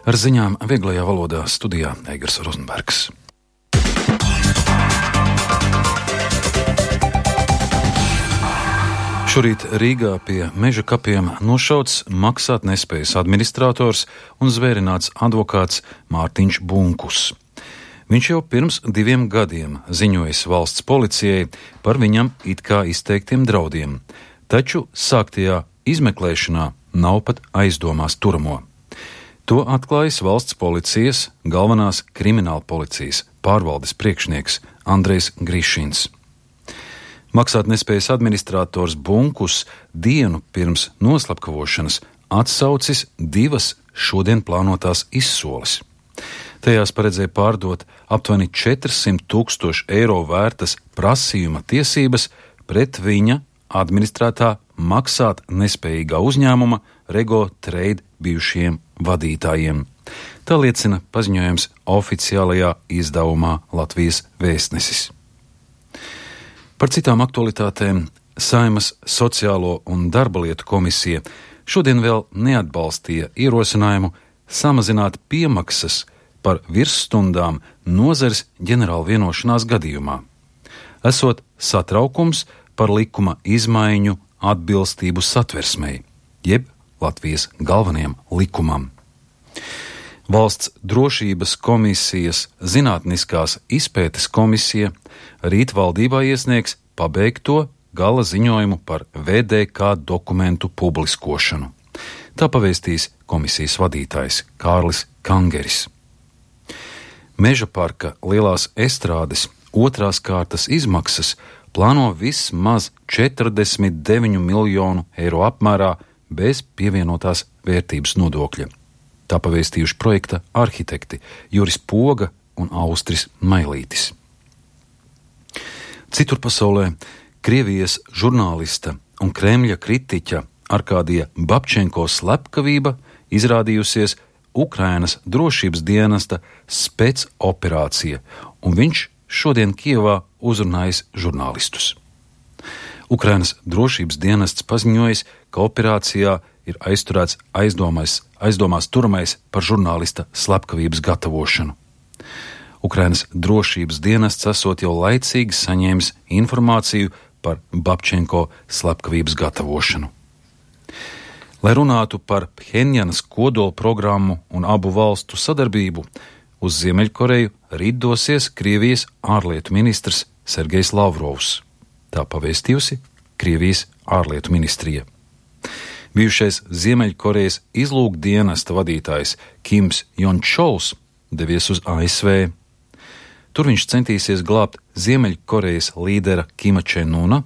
Ar ziņām vieglajā valodā studijā Eigars Rozenbergs. Šorīt Rīgā pie meža kapiem nošauts maksātnespējas administrators un zvērināts advokāts Mārtiņš Bunkus. Viņš jau pirms 2 gadiem ziņojis valsts policijai par viņam it kā izteiktiem draudiem, taču sāktajā izmeklēšanā nav pat aizdomās turamo. To atklājis valsts policijas galvenās krimināla policijas pārvaldes priekšnieks Andrejs Grišins. Maksātnespējas administrators Bunkus dienu pirms noslapkavošanas atsaucis 2 šodien plānotās izsoles. Tajās paredzēja pārdot aptuveni 400 000 eiro vērtas prasījuma tiesības pret viņa administrētā maksātnespējīgā uzņēmuma Rego Trade bijušiem vadītājiem. Tā liecina paziņojums oficiālajā izdevumā Latvijas Vēstnesis. Par citām aktualitātēm Saeimas Sociālo un darba lietu komisija šodien vēl neatbalstīja ierosinājumu samazināt piemaksas par virsstundām nozares ģenerāla vienošanās gadījumā. Esot satraukums par likuma izmaiņu atbilstību satversmei, jeb Latvijas galvenajam likumam. Valsts drošības komisijas zinātniskās izpētes komisija rīt valdībā iesniegs pabeigto gala ziņojumu par VDK dokumentu publiskošanu. Tā pavēstīs komisijas vadītājs Kārlis Kangeris. Meža parka Lielās Estrādes 2. kārtas izmaksas plāno vismaz 49 miljonu eiro apmērā bez pievienotās vērtības nodokļa. Tā pavēstījuši projekta arhitekti Juris Poga un Austris Mailītis. Citur pasaulē Krievijas žurnālista un Kremļa kritiķa Arkādija Babčenko slepkavība izrādījusies Ukrainas drošības dienesta spēcoperācija, un viņš šodien Kijevā uzrunājis žurnālistus. Ukrainas drošības dienests paziņojis, ka operācijā ir aizturēts aizdomās turamais par žurnālista slepkavības gatavošanu. Ukrainas drošības dienests esot jau laicīgi saņēmis informāciju par Babčenko slepkavības gatavošanu. Lai runātu par Phenjanas kodola programmu un abu valstu sadarbību, uz Ziemeļkoreju rīt dosies Krievijas ārlietu ministrs Sergejs Lavrovs. Tā pavēstījusi Krievijas ārlietu ministrija. Bijušais Ziemeļkorejas izlūkdienesta vadītājs Kims Jončols devies uz ASV. Tur viņš centīsies glābt Ziemeļkorejas līdera Kima Čenuna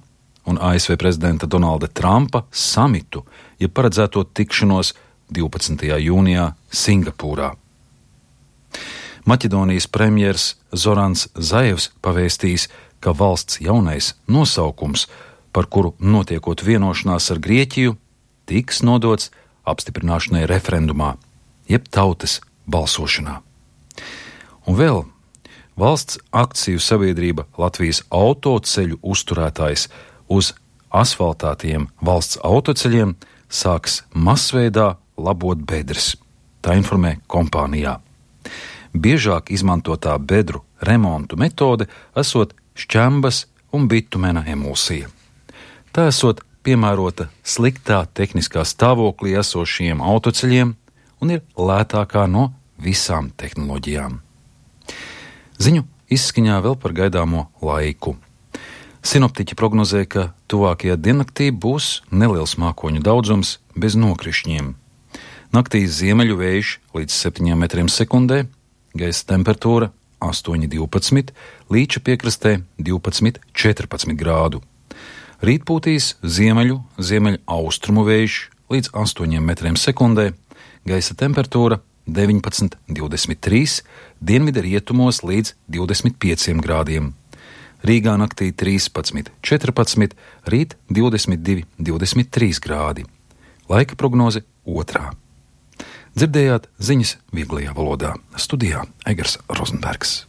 un ASV prezidenta Donalda Trumpa samitu, ja paredzēto tikšanos 12. jūnijā Singapūrā. Maķedonijas premjers Zorans Zajevs pavēstījis, ka valsts jaunais nosaukums, par kuru notiekot vienošanās ar Grieķiju, tiks nodots apstiprināšanai referendumā, jeb tautas balsošanā. Un vēl valsts akciju sabiedrība Latvijas autoceļu uzturētājs uz asfaltātiem valsts autoceļiem sāks masveidā labot bedres. Tā informē kompānijā. Biežāk izmantotā bedru remontu metode esot šķembas un bitumena emulsija. Tā esot piemērota sliktā tehniskā stāvoklī esošiem autoceļiem un ir lētākā no visām tehnoloģijām. Ziņu izskaņā vēl par gaidāmo laiku. Sinoptiķi prognozē, ka tuvākajā diennaktī būs neliels mākoņu daudzums bez nokrišņiem. Naktī ziemeļu vējš līdz 7 metriem sekundē, gaisa temperatūra 8–12, Līča piekrastē 12–14 grādu. Rīt pūtīs ziemeļaustrumu vējš līdz 8 metriem sekundē, gaisa temperatūra 19–23, dienvidu rietumos līdz 25 grādiem. Rīgā naktī 13–14, rīt 22–23 grādi. Laika prognoze 2. Dzirdējāt ziņas vieglajā valodā. Studijā Eigars Rozenbergs.